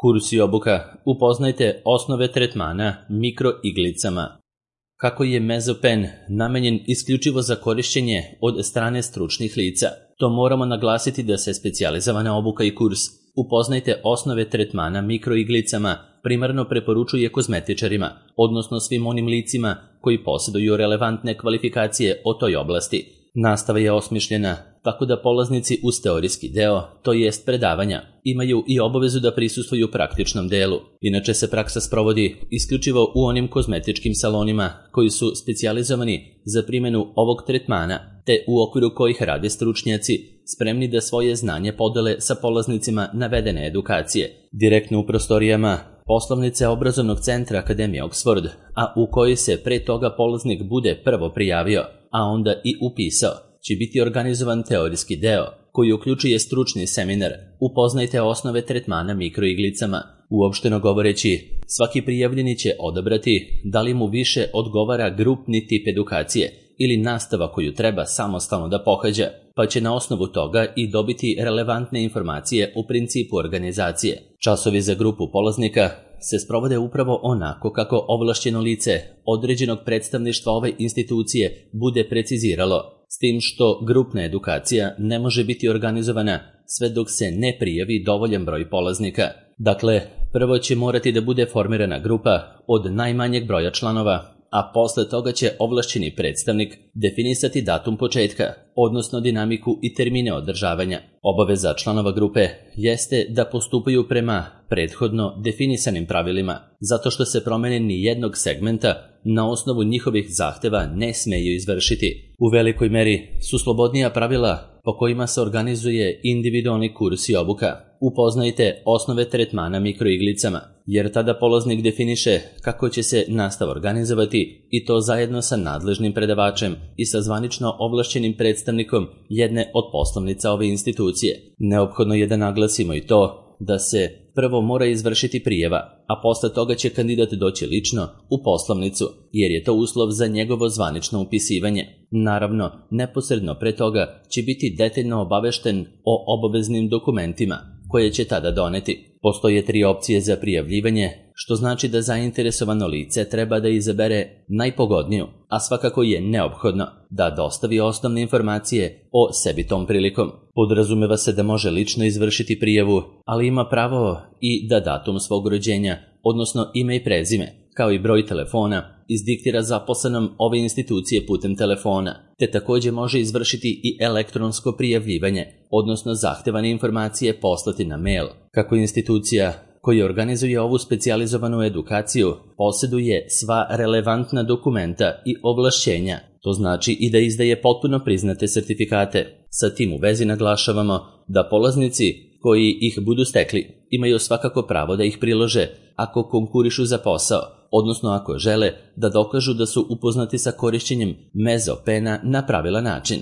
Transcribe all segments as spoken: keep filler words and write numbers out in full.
Kurs i obuka. Upoznajte osnove tretmana mikroiglicama. Kako je mezopen namenjen isključivo za korišćenje od strane stručnih lica, to moramo naglasiti da se specijalizovana obuka i kurs Upoznajte osnove tretmana mikroiglicama primarno preporučuje kozmetičarima, odnosno svim onim licima koji posjeduju relevantne kvalifikacije o toj oblasti. Nastava je osmišljena tako da polaznici uz teorijski deo, to jest predavanja, imaju i obavezu da prisustvuju praktičnom delu. Inače se praksa sprovodi isključivo u onim kozmetičkim salonima koji su specijalizovani za primjenu ovog tretmana, te u okviru kojih rade stručnjaci spremni da svoje znanje podele sa polaznicima navedene edukacije. Direktno u prostorijama poslovnice obrazovnog centra Akademije Oxford, a u kojoj se pre toga polaznik bude prvo prijavio, a onda i upisao, će biti organizovan teorijski deo, koji uključuje stručni seminar Upoznajte osnove tretmana mikroiglicama. Uopšteno govoreći, svaki prijavljeni će odabrati da li mu više odgovara grupni tip edukacije ili nastava koju treba samostalno da pohađa, pa će na osnovu toga i dobiti relevantne informacije u principu organizacije. Časovi za grupu polaznika se sprovode upravo onako kako ovlašćeno lice određenog predstavništva ove institucije bude preciziralo, s tim što grupna edukacija ne može biti organizovana sve dok se ne prijavi dovoljan broj polaznika. Dakle, prvo će morati da bude formirana grupa od najmanjeg broja članova, a posle toga će ovlašćeni predstavnik definisati datum početka, odnosno dinamiku i termine održavanja. Obaveza članova grupe jeste da postupaju prema prethodno definisanim pravilima, zato što se promene ni jednog segmenta na osnovu njihovih zahteva ne smeju izvršiti. U velikoj meri su slobodnija pravila po kojima se organizuje individualni kurs i obuka. Upoznajte osnove tretmana mikroiglicama, jer tada polaznik definiše kako će se nastava organizovati i to zajedno sa nadležnim predavačem i sa zvanično ovlašćenim predstavnikom jedne od poslovnica ove institucije. Neophodno je da naglasimo i to da se prvo mora izvršiti prijava, a posle toga će kandidat doći lično u poslovnicu, jer je to uslov za njegovo zvanično upisivanje. Naravno, neposredno pre toga će biti detaljno obavešten o obaveznim dokumentima koje će tada doneti. Postoje tri opcije za prijavljivanje, što znači da zainteresovano lice treba da izabere najpogodniju, a svakako je neophodno da dostavi osnovne informacije o sebi tom prilikom. Podrazumeva se da može lično izvršiti prijavu, ali ima pravo i da datum svog rođenja, odnosno ime i prezime, kao i broj telefona, izdiktira zaposlenom ove institucije putem telefona, te također može izvršiti i elektronsko prijavljivanje, odnosno zahtevane informacije poslati na mail. Kako institucija koja organizuje ovu specijalizovanu edukaciju posjeduje sva relevantna dokumenta i ovlašćenja, to znači i da izdaje potpuno priznate sertifikate. Sa tim u vezi naglašavamo da polaznici koji ih budu stekli imaju svakako pravo da ih prilože ako konkurišu za posao, odnosno ako žele da dokažu da su upoznati sa korišćenjem mezopena na pravilan način.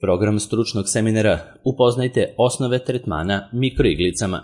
Program stručnog seminara Upoznajte osnove tretmana mikroiglicama.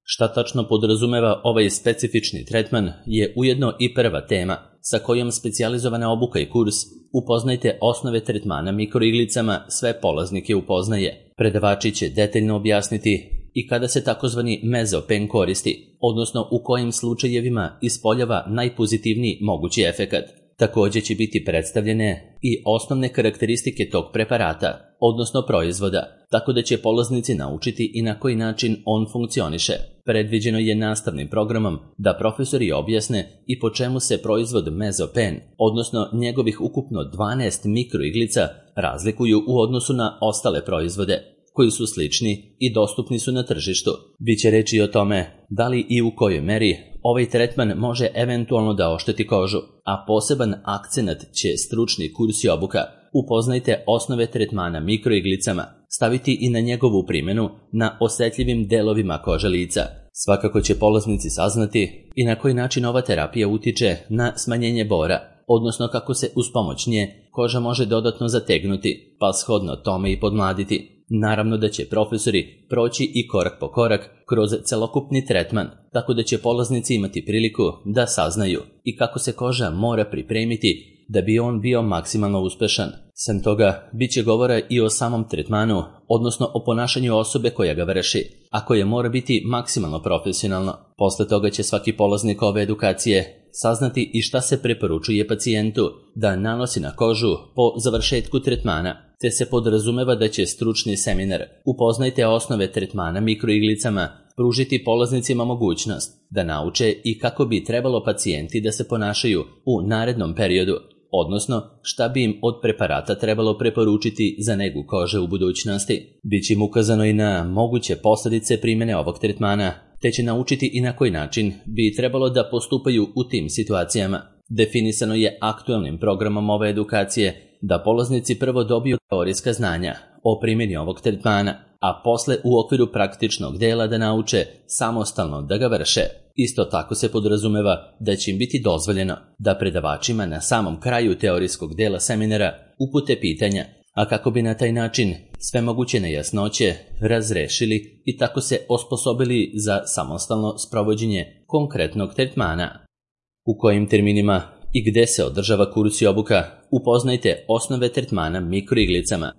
Šta tačno podrazumeva ovaj specifični tretman je ujedno i prva tema sa kojom specijalizovana obuka i kurs Upoznajte osnove tretmana mikroiglicama sve polaznike upoznaje. Predavači će detaljno objasniti i kada se takozvani mezopen koristi, odnosno u kojim slučajevima ispoljava najpozitivniji mogući efekat. Također će biti predstavljene i osnovne karakteristike tog preparata, odnosno proizvoda, tako da će polaznici naučiti i na koji način on funkcioniše. Predviđeno je nastavnim programom da profesori objasne i po čemu se proizvod mezopen, odnosno njegovih ukupno dvanaest mikroiglica, razlikuju u odnosu na ostale proizvode, koji su slični i dostupni su na tržištu. Biće reći o tome da li i u kojoj meri ovaj tretman može eventualno da ošteti kožu, a poseban akcenat će stručni kurs i obuka Upoznajte osnove tretmana mikroiglicama staviti i na njegovu primjenu na osjetljivim delovima kože lica. Svakako će polaznici saznati i na koji način ova terapija utiče na smanjenje bora, odnosno kako se uz pomoć nje koža može dodatno zategnuti, pa shodno tome i podmladiti. Naravno da će profesori proći i korak po korak kroz celokupni tretman, tako da će polaznici imati priliku da saznaju i kako se koža mora pripremiti da bi on bio maksimalno uspešan. Sem toga, bit će govora i o samom tretmanu, odnosno o ponašanju osobe koja ga vrši, a koje mora biti maksimalno profesionalno. Posle toga će svaki polaznik ove edukacije saznati i šta se preporučuje pacijentu da nanosi na kožu po završetku tretmana, te se podrazumeva da će stručni seminar Upoznajte osnove tretmana mikroiglicama pružiti polaznicima mogućnost da nauče i kako bi trebalo pacijenti da se ponašaju u narednom periodu, odnosno šta bi im od preparata trebalo preporučiti za negu kože u budućnosti. Biće im ukazano i na moguće posljedice primjene ovog tretmana, te će naučiti i na koji način bi trebalo da postupaju u tim situacijama. Definisano je aktualnim programom ove edukacije da polaznici prvo dobiju teorijska znanja o primjeni ovog tretmana, a posle u okviru praktičnog dela da nauče samostalno da ga vrše. Isto tako se podrazumeva da će im biti dozvoljeno da predavačima na samom kraju teorijskog dela seminara upute pitanja, a kako bi na taj način sve moguće nejasnoće razrešili i tako se osposobili za samostalno sprovođenje konkretnog tretmana. U kojim terminima i gde se održava kurs i obuka, upoznajte osnove tretmana mikroiglicama.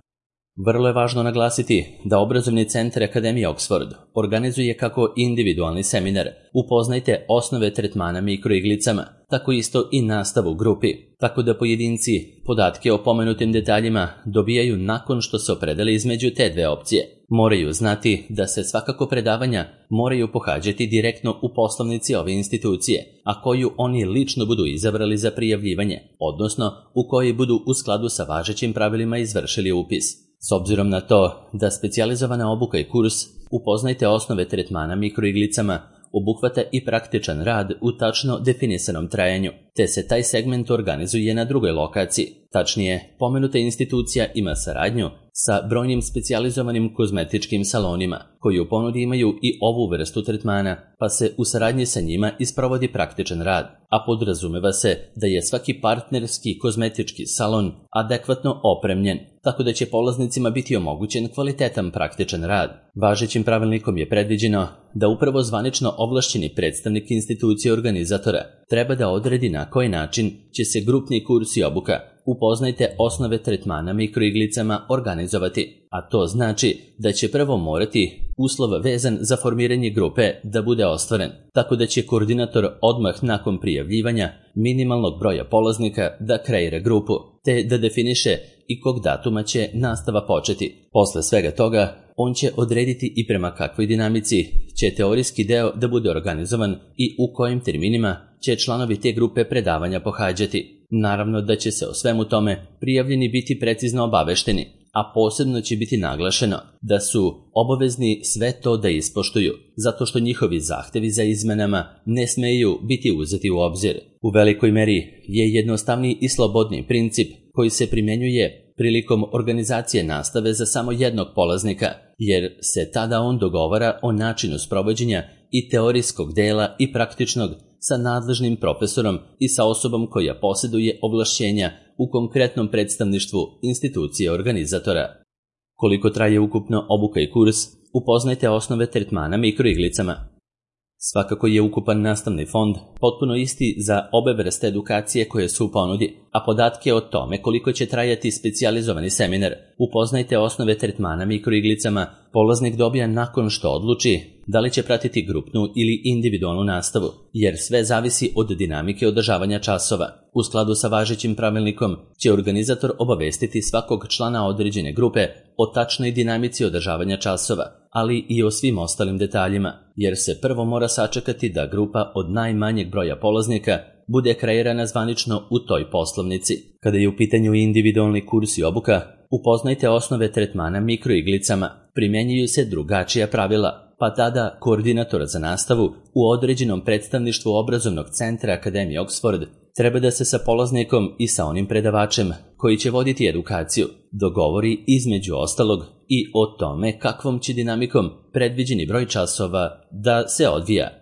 Vrlo je važno naglasiti da obrazovni centar Akademije Oxford organizuje kako individualni seminar Upoznajte osnove tretmana mikroiglicama, tako isto i nastavu u grupi, tako da pojedinci podatke o pomenutim detaljima dobijaju nakon što se opredele između te dve opcije. Moraju znati da se svakako predavanja moraju pohađati direktno u poslovnici ove institucije, a koju oni lično budu izabrali za prijavljivanje, odnosno u kojoj budu u skladu sa važećim pravilima izvršili upis. S obzirom na to da specijalizovana obuka i kurs Upoznajte osnove tretmana mikroiglicama obuhvata i praktičan rad u tačno definisanom trajanju, te se taj segment organizuje na drugoj lokaciji. Tačnije, pomenuta institucija ima saradnju sa brojnim specijalizovanim kozmetičkim salonima, koji u ponudi imaju i ovu vrstu tretmana, pa se u saradnji sa njima isprovodi praktičan rad, a podrazumeva se da je svaki partnerski kozmetički salon adekvatno opremljen, tako da će polaznicima biti omogućen kvalitetan praktičan rad. Važećim pravilnikom je predviđeno da upravo zvanično ovlašćeni predstavnik institucije organizatora treba da odredi na koji način će se grupni kurs i obuka Upoznajte osnove tretmana mikroiglicama organizovati, a to znači da će prvo morati uslov vezan za formiranje grupe da bude ostvaren, tako da će koordinator odmah nakon prijavljivanja minimalnog broja polaznika da kreira grupu, te da definiše i kog datuma će nastava početi. Posle svega toga, on će odrediti i prema kakvoj dinamici će teorijski deo da bude organizovan i u kojim terminima će članovi te grupe predavanja pohađati. Naravno da će se o svemu tome prijavljeni biti precizno obavešteni, a posebno će biti naglašeno da su obavezni sve to da ispoštuju, zato što njihovi zahtevi za izmenama ne smeju biti uzeti u obzir. U velikoj meri je jednostavniji i slobodniji princip koji se primjenjuje prilikom organizacije nastave za samo jednog polaznika, jer se tada on dogovara o načinu sprovođenja i teorijskog dela i praktičnog sa nadležnim profesorom i sa osobom koja posjeduje ovlašćenja u konkretnom predstavništvu institucije organizatora. Koliko traje ukupno obuka i kurs, upoznajte osnove tretmana mikroiglicama. Svakako je ukupan nastavni fond potpuno isti za obe vrste edukacije koje su u ponudi, a podatke o tome koliko će trajati specijalizovani seminar Upoznajte osnove tretmana mikroiglicama polaznik dobija nakon što odluči da li će pratiti grupnu ili individualnu nastavu, jer sve zavisi od dinamike održavanja časova. U skladu sa važećim pravilnikom će organizator obavestiti svakog člana određene grupe o tačnoj dinamici održavanja časova, ali i o svim ostalim detaljima, jer se prvo mora sačekati da grupa od najmanjeg broja polaznika bude kreirana zvanično u toj poslovnici. Kada je u pitanju individualni kurs i obuka, upoznajte osnove tretmana mikroiglicama, primjenjuju se drugačija pravila, pa tada koordinator za nastavu u određenom predstavništvu obrazovnog centra Akademije Oxford treba da se sa polaznikom i sa onim predavačem koji će voditi edukaciju dogovori između ostalog i o tome kakvom će dinamikom predviđeni broj časova da se odvija.